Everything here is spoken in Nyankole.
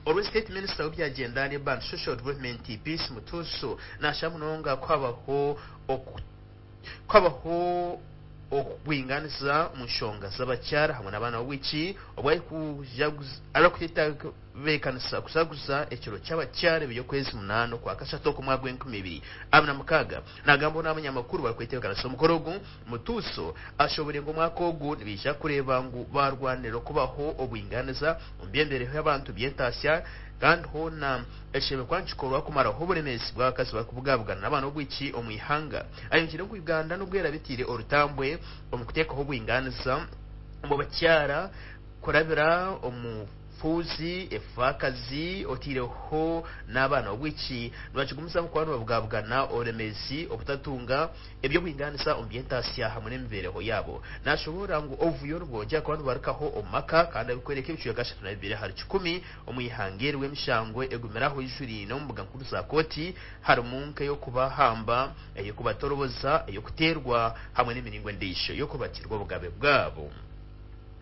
Orwe State Minister w'ebya Gender, Labour and Social Development Peace Mutuuso nashaba munonga kuhabaho kuhabaho okubwinganisa omu nshonga z'abakyara hamwe n'abaana b'obwishiki obu arikutebeekanisa kujaguza ekiro ky'abakyara eby'okwezi munaana okwakashatu okw'omwaka gw'enkumi ibiri abiri na mukaaga. Nagambaho n'abanyamakuru barikwetebeekanisa omukoro ogu, Mutuuso ashoboire ngu omwaka ogu nibaija kureeba ngu barwanirira okubaho obwinganiza omu by'emibeereho y'abantu by'entaasya kandi hoona ekishemereire kuba nikikorwa kumaraho oburemeezi bw'abakazi barikubugabugana n'abaana b'obwishiki omu ihanga. Ayongiire ngu Uganda nubwo eraabe etaire orutambwe omu kuteekaho obwinganiza omu bakyara kurabira omu fuuzi, efaakazi otaireho n'abaana b'obwishiki nibakigumizamu kuba nibabugabugana oburemeezi obutatunga eby'obwinganisa omu by'entaasya hamwe n'emibeereho yaabo. Nashoboorora ngu obuvuyo nibwongyera kuba nibubarukaho omu maka kandi arikworeka ebicweka 32 ahari kikumi omu ihanga eri emishango egumire aho ijuriine omu mbuga nkuru za kooti harimu nk'ey'okubahamba, ey'okubatoroboza, ey'okuteerwa hamwe n'emiringo endiijo y'okubatirwa obugabe bwabo.